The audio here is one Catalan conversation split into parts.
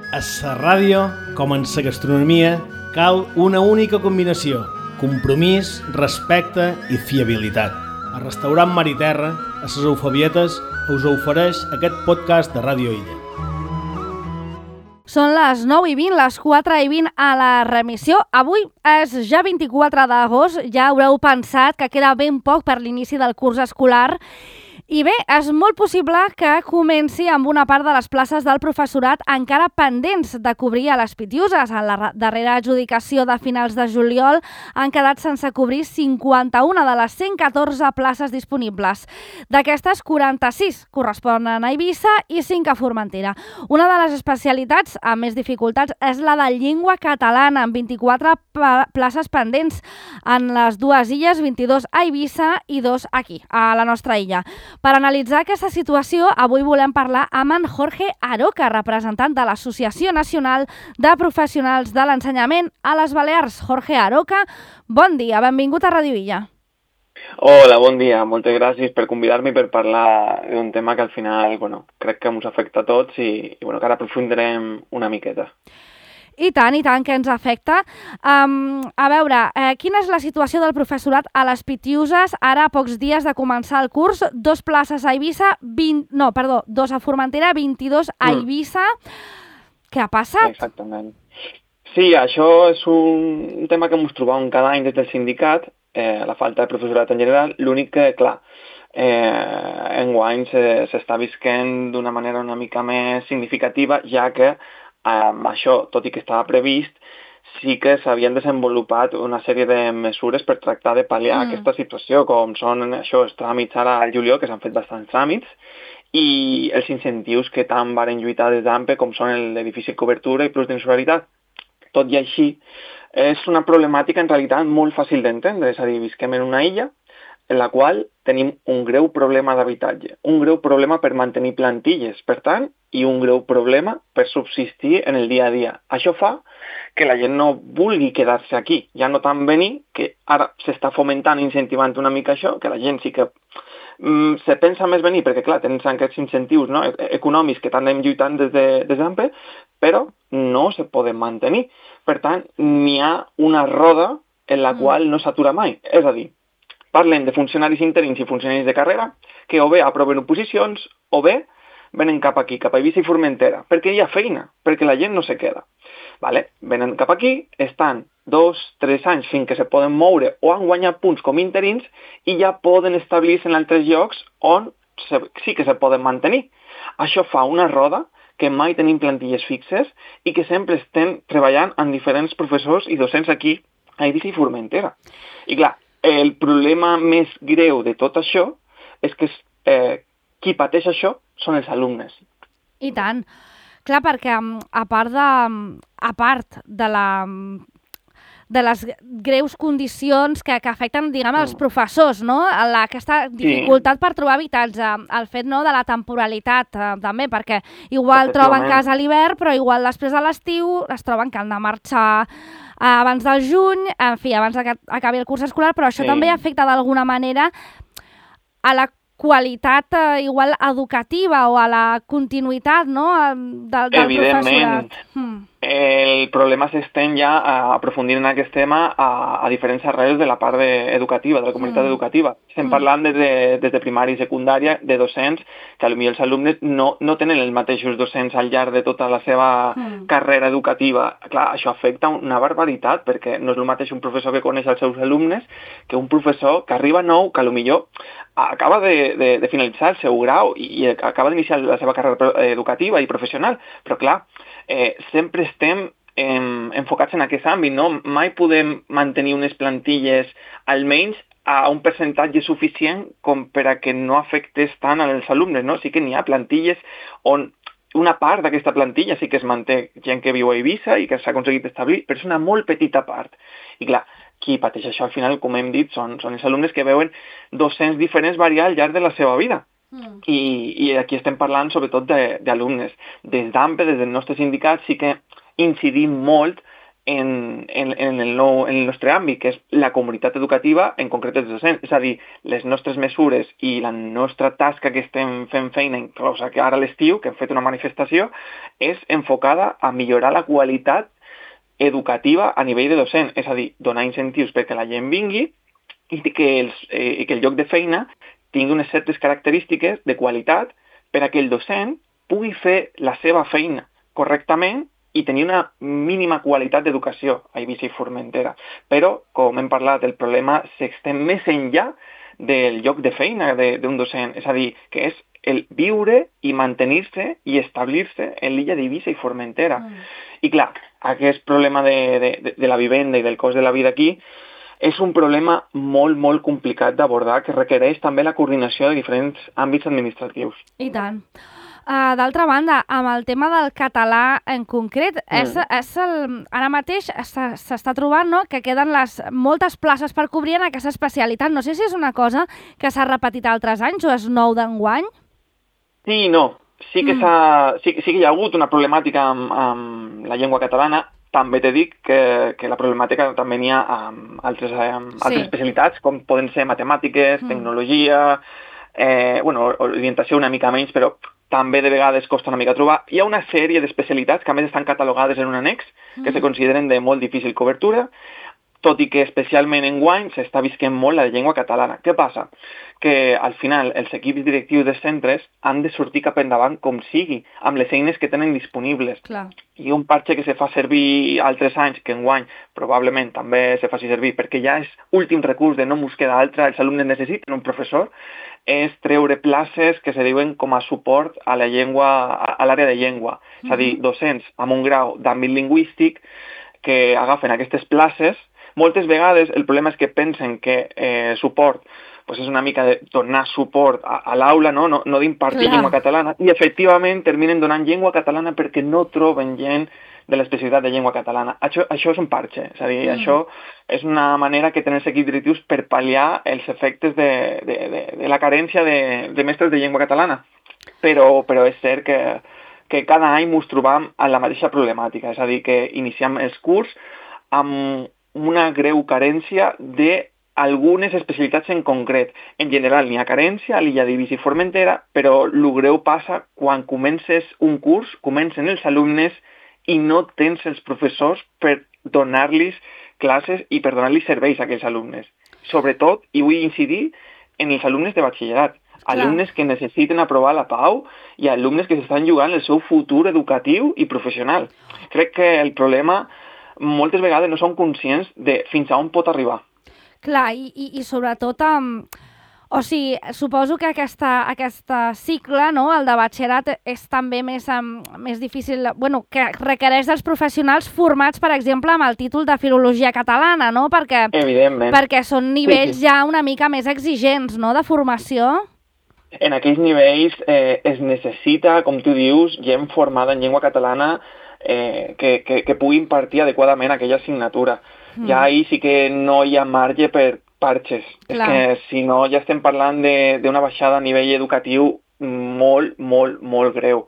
A la ràdio, com en la gastronomia, cal una única combinació: compromís, respecte i fiabilitat. El restaurant Mar i Terra, a les Eufabietes, us ofereix aquest podcast de Ràdio Illa. Són les 9:20, les 4:20 a la remissió. Avui és ja 24 d'agost, ja haureu pensat que queda ben poc per l'inici del curs escolar. I bé, és molt possible que comenci amb una part de les places del professorat encara pendents de cobrir a les Pitiuses. En la darrera adjudicació de finals de juliol han quedat sense cobrir 51 de les 114 places disponibles. D'aquestes, 46 corresponen a Eivissa i 5 a Formentera. Una de les especialitats amb més dificultats és la de llengua catalana, amb 24 places pendents en les dues illes, 22 a Eivissa i 2 aquí, a la nostra illa. Per analitzar aquesta situació, avui volem parlar amb en Jorge Aroca, representant de l'Associació Nacional de Professionals de l'Ensenyament a les Balears. Jorge Aroca, bon dia, benvingut a Ràdio Illa. Hola, bon dia. Moltes gràcies per convidar-me per parlar d'un tema que al final crec que ens afecta a tots i que ara aprofundirem una miqueta. I tant que ens afecta. A veure, quina és la situació del professorat a les Pitiuses ara a pocs dies de començar el curs? 2 places a Eivissa, 2 a Formentera, 22 a Eivissa. Què ha passat? Exactament. Sí, això és un tema que ens trobem cada any des del sindicat, la falta de professorat en general. L'únic que, clar, enguany s'està visquent d'una manera una mica més significativa, ja que això, tot i que estava previst, sí que s'havien desenvolupat una sèrie de mesures per tractar de pal·liar aquesta situació, com són els tràmits ara al juliol, que s'han fet bastants tràmits, i els incentius que tant varen lluitar des d'AMPE, com són el de difícil cobertura i plus d'insolidaritat. Tot i així, és una problemàtica en realitat molt fàcil d'entendre, és a dir, visquem en una illa en la qual tenim un greu problema d'habitatge, un greu problema per mantenir plantilles, per tant, i un greu problema per subsistir en el dia a dia. Això fa que la gent no vulgui quedar-se aquí, ja no tant venir, que ara s'està fomentant i incentivant una mica això, que la gent sí que se pensa més venir, perquè clar, tenen aquests incentius econòmics que tant anem lluitant des d'AMPE, però no se poden mantenir. Per tant, n'hi ha una roda en la qual no s'atura mai, és a dir, parlem de funcionaris interins i funcionaris de carrera que o bé aproven oposicions o bé venen cap aquí, cap a Eivissa i Formentera, perquè hi ha feina, perquè la gent no se queda. Venen cap aquí, estan 2-3 anys fins que se poden moure o han guanyat punts com interins i ja poden establir-se en altres llocs on sí que se poden mantenir. Això fa una roda que mai tenim plantilles fixes i que sempre estem treballant amb diferents professors i docents aquí a Eivissa i Formentera. I clar, el problema més greu de tot això és que qui pateix això són els alumnes. I tant. Clar, perquè a part de les greus condicions que afecten, els professors, no? Aquesta dificultat per trobar habitatge, el fet de la temporalitat també, perquè igual troben casa a l'hivern, però igual després de l'estiu es troben que han de marxar abans del juny, en fi, abans que acabi el curs escolar, però això també afecta d'alguna manera a la qualitat igual educativa o a la continuïtat del professorat. El problema s'estén ja a aprofundir en aquest tema a diferents arrels de la part educativa, de la comunitat educativa. Estem parlant des de primària i secundària de docents que potser els alumnes no tenen els mateixos docents al llarg de tota la seva carrera educativa. Clar, això afecta una barbaritat, perquè no és el mateix un professor que coneix els seus alumnes que un professor que arriba nou, que potser acaba de finalitzar el seu grau i acaba d'iniciar la seva carrera educativa i professional, però clar, sempre estem enfocats en aquest àmbit, no? Mai podem mantenir unes plantilles almenys a un percentatge suficient com per a que no afectés tant als alumnes, no? Sí que n'hi ha plantilles on una part d'aquesta plantilla sí que es manté gent que viu a Eivissa i que s'ha aconseguit establir, però és una molt petita part. I clar, qui pateix això al final, com hem dit, són els alumnes que veuen docents diferents variar al llarg de la seva vida. I aquí estem parlant sobretot d'alumnes. Des d'AMPE, des del nostre sindicat, sí que incidim molt en el nostre àmbit, que és la comunitat educativa, en concret els docents. És a dir, les nostres mesures i la nostra tasca que estem fent feina, inclosa que ara a l'estiu, que hem fet una manifestació, és enfocada a millorar la qualitat educativa a nivell de docent, és a dir, donar incentius perquè la gent vingui i que el lloc de feina tingui unes certes característiques de qualitat per a que el docent pugui fer la seva feina correctament i tenir una mínima qualitat d'educació a Eivissa i Formentera. Però, com hem parlat, el problema s'estén més enllà del lloc de feina d'un docent, és a dir, que és el viure i mantenir-se i establir-se en l'illa d'Eivissa i Formentera. I clar, aquest problema de la vivenda i del cost de la vida aquí és un problema molt, molt complicat d'abordar que requereix també la coordinació de diferents àmbits administratius. I tant. D'altra banda, amb el tema del català en concret, ara mateix s'està trobant, no?, que queden moltes places per cobrir en aquesta especialitat. No sé si és una cosa que s'ha repetit altres anys o és nou d'enguany. Sí i no. Sí que hi ha hagut una problemàtica amb la llengua catalana. També t'he dit que la problemàtica també n'hi ha amb altres especialitats, com poden ser matemàtiques, tecnologia, orientació una mica menys, però també de vegades costa una mica trobar. Hi ha una sèrie d'especialitats que a més estan catalogades en un annex, que se consideren de molt difícil cobertura, tot i que especialment enguany s'està visquent molt la llengua catalana. Què passa? Que al final els equips directius dels centres han de sortir cap endavant com sigui, amb les eines que tenen disponibles. Clar. I un parche que se fa servir altres anys, que enguany probablement també se faci servir, perquè ja és últim recurs de no mos queda altre, els alumnes necessiten un professor, és treure places que se diuen com a suport a la llengua, a l'àrea de llengua. És a dir, docents amb un grau d'àmbit lingüístic que agafen aquestes places. Moltes vegades el problema és que pensen que suport és una mica de donar suport a l'aula, no d'impartir llengua catalana, i efectivament terminen donant llengua catalana perquè no troben gent de l'especialitat de llengua catalana. Això és un parche, és a dir, això és una manera que tenen els equips directius per pal·liar els efectes de la carència de mestres de llengua catalana. Però és cert que cada any ens trobam amb la mateixa problemàtica, és a dir, que iniciem els curs amb una greu carència d'algunes especialitats en concret. En general n'hi ha carència a l'illa d'Eivissa i Formentera, però el greu passa quan comences un curs, comencen els alumnes i no tens els professors per donar-los classes i per donar-los serveis a aquells alumnes. Sobretot, i vull incidir, en els alumnes de batxillerat. Alumnes que necessiten aprovar la PAU i alumnes que s'estan jugant el seu futur educatiu i professional. Crec que el problema moltes vegades no són conscients de fins a on pot arribar. Clar, i sobretot, suposo que aquest cicle, no?, el de batxillerat, és també més difícil, que requereix dels professionals formats, per exemple, amb el títol de Filologia Catalana, no?, perquè són nivells ja una mica més exigents, no?, de formació. En aquells nivells es necessita, com tu dius, gent formada en llengua catalana que pugui impartir adequadament aquella assignatura. Ja ahir sí que no hi ha marge per parxes. És que si no ja estem parlant d'una baixada a nivell educatiu molt, molt, molt greu.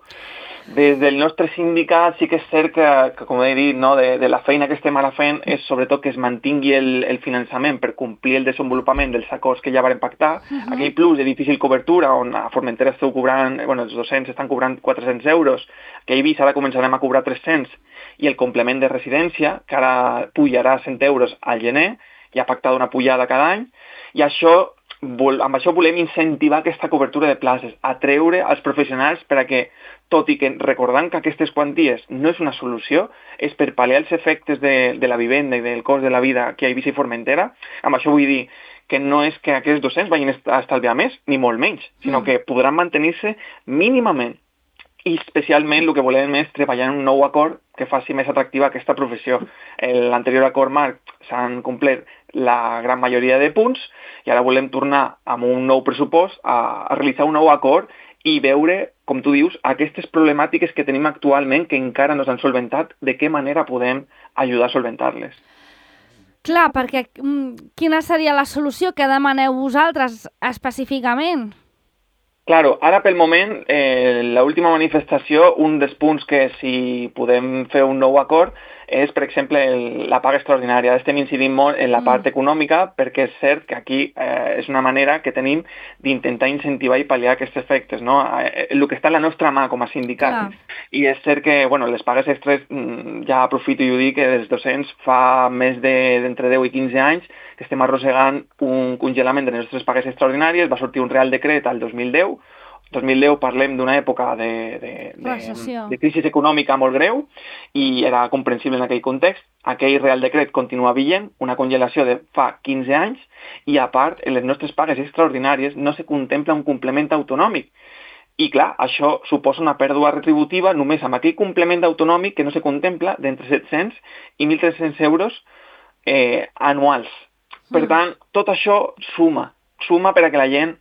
Des del nostre sindicat sí que és cert que com he dit, no, de la feina que estem ara fent és sobretot que es mantingui el finançament per complir el desenvolupament dels acords que ja varen pactar. Aquell plus de difícil cobertura on a Formentera esteu cobrant, els docents estan cobrant 400 euros, que a Eivissa ara començarem a cobrar 300, i el complement de residència, que ara pujarà 100 euros al gener, ja ha pactat una pujada cada any, i amb això volem incentivar aquesta cobertura de places, atreure els professionals per a que, tot i que recordant que aquestes quanties no és una solució, és per pal·liar els efectes de la vivenda i del cost de la vida aquí a Eivissa i Formentera. Amb això vull dir que no és que aquests docents vagin a estalviar més, ni molt menys, sinó que podran mantenir-se mínimament. I especialment el que volem és treballar en un nou acord que faci més atractiva aquesta professió. L'anterior acord marc s'han complert la gran majoria de punts i ara volem tornar amb un nou pressupost a realitzar un nou acord i veure, com tu dius, aquestes problemàtiques que tenim actualment que encara no s'han solventat, de què manera podem ajudar a solventar-les. Clar, perquè quina seria la solució que demaneu vosaltres específicament? Claro, ara pel moment, l'última manifestació, un dels punts que si podem fer un nou acord és, per exemple, la paga extraordinària. Estem incidint molt en la part econòmica perquè és cert que aquí és una manera que tenim d'intentar incentivar i pal·liar aquests efectes, no? El que està a la nostra mà com a sindicat. I és cert que les pagues extres, ja aprofito i ho dic, que dels docents fa més d'entre 10 i 15 anys que estem arrossegant un congelament de les nostres pagues extraordinàries. Va sortir un Real Decret al 2010. 2010 parlem d'una època de crisi econòmica molt greu i era comprensible en aquell context. Aquell Real Decret continua vigent, una congelació de fa 15 anys, i a part, en les nostres pagues extraordinàries no se contempla un complement autonòmic. I clar, això suposa una pèrdua retributiva només amb aquell complement autonòmic que no se contempla d'entre 700 i 1.300 euros anuals. Per tant, tot això suma per a que la gent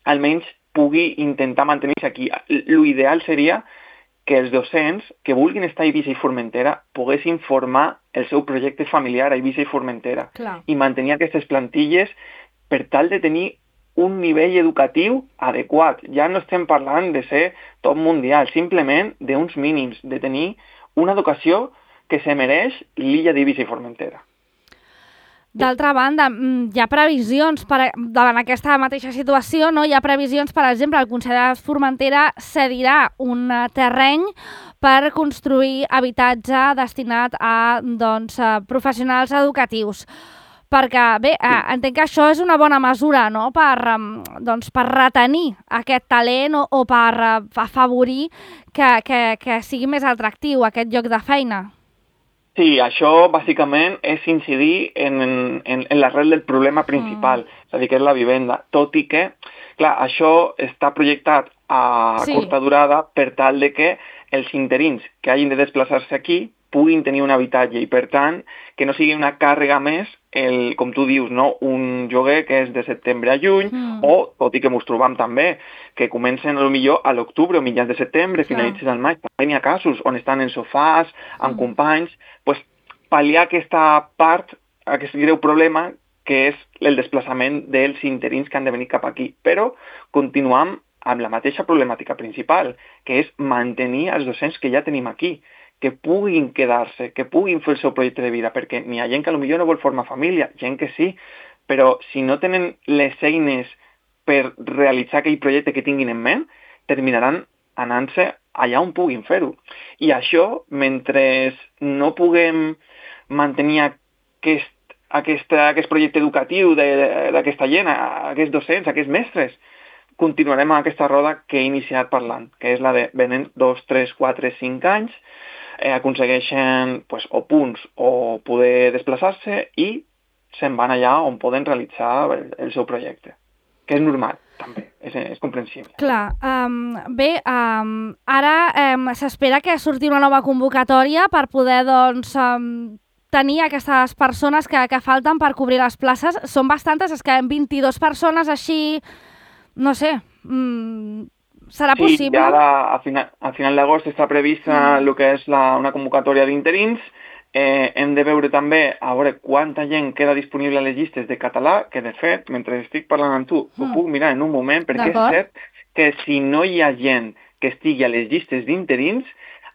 almenys pugui intentar mantenir-se aquí. L'ideal seria que els docents que vulguin estar a Eivissa i Formentera poguessin formar el seu projecte familiar a Eivissa i Formentera i mantenir aquestes plantilles per tal de tenir un nivell educatiu adequat. Ja no estem parlant de ser top mundial, simplement d'uns mínims, de tenir una educació que se mereix l'illa d'Eivissa i Formentera. D'altra banda, hi ha previsions davant aquesta mateixa situació, no? Hi ha previsions, per exemple, el Consell de Formentera cedirà un terreny per construir habitatge destinat a professionals educatius. Perquè, bé, entenc que això és una bona mesura, no?, per retenir aquest talent o per afavorir que sigui més atractiu aquest lloc de feina. Sí, això bàsicament és incidir en l'arrel del problema principal, és a dir, que és la vivenda, tot i que, clar, això està projectat a curta durada per tal de que els interins que hagin de desplaçar-se aquí puguin tenir un habitatge i, per tant, que no sigui una càrrega més, com tu dius, no? Un lloguer que és de setembre a juny, o, tot i que ens trobam també, que comencen potser a l'octubre o mitjans de setembre, finalitzen al maig. També hi ha casos on estan en sofàs, amb companys, pal·liar aquesta part, aquest greu problema, que és el desplaçament dels interins que han de venir cap aquí. Però continuam amb la mateixa problemàtica principal, que és mantenir els docents que ja tenim aquí, que puguin quedar-se, que puguin fer el seu projecte de vida, perquè n'hi ha gent que potser no vol formar família, gent que sí, però si no tenen les eines per realitzar aquell projecte que tinguin en ment, terminaran anant-se allà on puguin fer-ho. I això, mentre no puguem mantenir aquest projecte educatiu d'aquesta gent, aquests docents, aquests mestres, continuarem amb aquesta roda que he iniciat parlant, que és la de venen 2, 3, 4, 5 anys, aconsegueixen o punts o poder desplaçar-se i se'n van allà on poden realitzar el seu projecte, que és normal també, és comprensible. Clar, bé, ara s'espera que surti una nova convocatòria per poder tenir aquestes persones que falten per cobrir les places. Són bastantes, és que 22 persones així, no sé, serà possible? Sí, ara a final d'agost està prevista el que és una convocatòria d'interins. Hem de veure també a veure quanta gent queda disponible a les llistes de català, que de fet, mentre estic parlant amb tu, ho puc mirar en un moment, perquè és cert que si no hi ha gent que estigui a les llistes d'interins,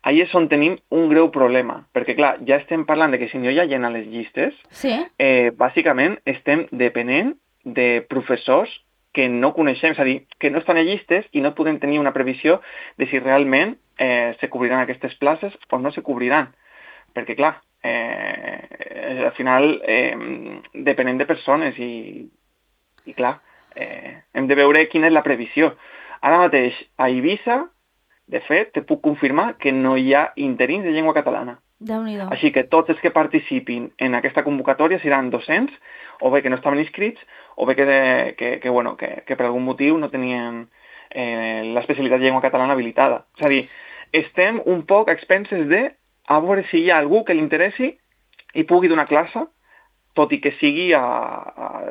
ahí és on tenim un greu problema, perquè clar, ja estem parlant de que si no hi ha gent a les llistes, bàsicament estem depenent de professors que no coneixem, és a dir, que no estan a llistes i no podem tenir una previsió de si realment se cobriran aquestes places o no se cobriran. Perquè, clar, al final depenem de persones i clar, hem de veure quina és la previsió. Ara mateix, a Eivissa, de fet, te puc confirmar que no hi ha interins de llengua catalana. Déu-n'hi-do. Així que tots els que participin en aquesta convocatòria seran docents, o bé que no estaven inscrits, o bé que per algun motiu no tenien l'especialitat de llengua catalana habilitada. És a dir, estem un poc a expenses de a veure si hi ha algú que li interessi i pugui donar classe, tot i que sigui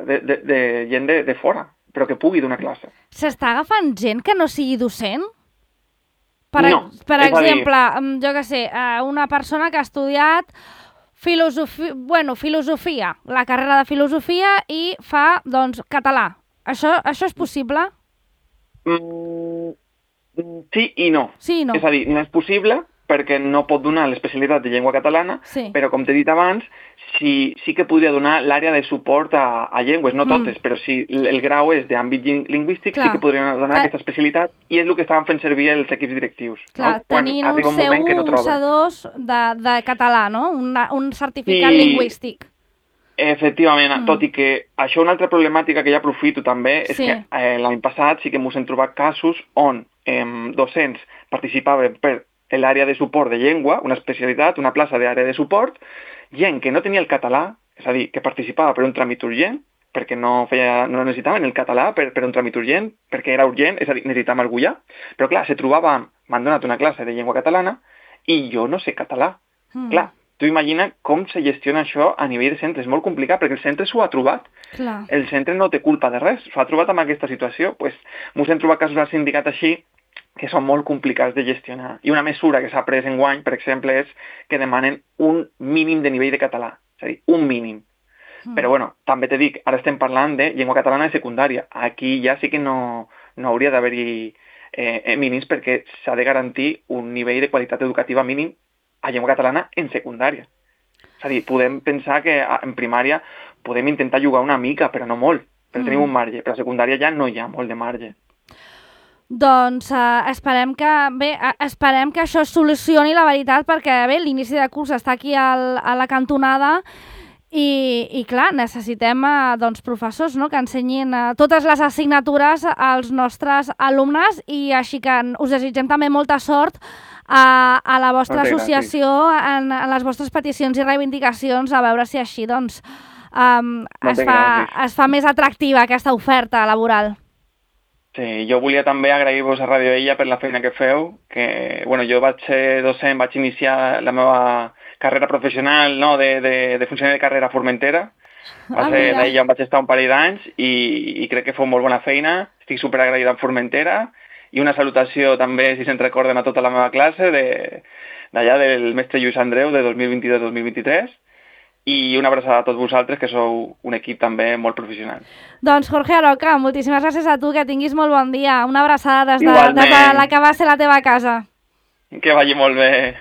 de gent de fora, però que pugui donar classe. S'està agafant gent que no sigui docent? Per exemple, jo què sé, una persona que ha estudiat filosofia, la carrera de filosofia i fa, català. Això és possible? Sí i no. Sí i no. És a dir, no és possible perquè no pot donar l'especialitat de llengua catalana, però com t'he dit abans, sí que podria donar l'àrea de suport a llengües, no totes, però si el grau és d'àmbit lingüístic, sí que podrien donar aquesta especialitat, i és el que estaven fent servir els equips directius. Clar, tenint un C1, un C2 de català, no? Un certificat lingüístic. Efectivament, tot i que això una altra problemàtica que ja aprofito també és que l'any passat sí que ens hem trobat casos on docents participaven per l'àrea de suport de llengua, una especialitat, una plaça d'àrea de suport, gent que no tenia el català, és a dir, que participava per un tràmit urgent, perquè no necessitaven el català per un tràmit urgent, perquè era urgent, és a dir, necessitàvem algú ja, però clar, se trobava, m'han donat una classe de llengua catalana i jo no sé català. Clar, tu imagina com se gestiona això a nivell de centre, és molt complicat, perquè el centre s'ho ha trobat. El centre no té culpa de res, s'ho ha trobat amb aquesta situació, doncs ens hem trobat casos al sindicat així, que són molt complicats de gestionar. I una mesura que s'ha pres enguany, per exemple, és que demanen un mínim de nivell de català, és a dir, un mínim. Però bueno, també te dic, ara estem parlant de llengua catalana de secundària. Aquí ja sí que no hauria d'haver-hi mínims perquè s'ha de garantir un nivell de qualitat educativa mínim a llengua catalana en secundària. És a dir, podem pensar que en primària podem intentar jugar una mica, però no molt, però tenim un marge. Però a secundària ja no hi ha molt de marge. Doncs esperem que això es solucioni, la veritat, perquè bé, l'inici de curs està aquí a la cantonada i clar, necessitem professors que ensenyin totes les assignatures als nostres alumnes i així que us desitgem també molta sort a la vostra associació en les vostres peticions i reivindicacions, a veure si així doncs es fa més atractiva aquesta oferta laboral. Sí, jo volia també agrair-vos a Radio Illa per la feina que feu, que jo vaig ser docent, vaig iniciar la meva carrera professional de funcionari de carrera a Formentera, va ser d'ella on vaig estar un parell d'anys i crec que feu molt bona feina, estic superagraïda amb Formentera i una salutació també, si se'n recorden, a tota la meva classe d'allà del mestre Lluís Andreu de 2022-2023, i una abraçada a tots vosaltres, que sou un equip també molt professional. Doncs Jorge Aroca, moltíssimes gràcies a tu, que tinguis molt bon dia. Una abraçada des de la que va ser la teva casa. Que vagi molt bé.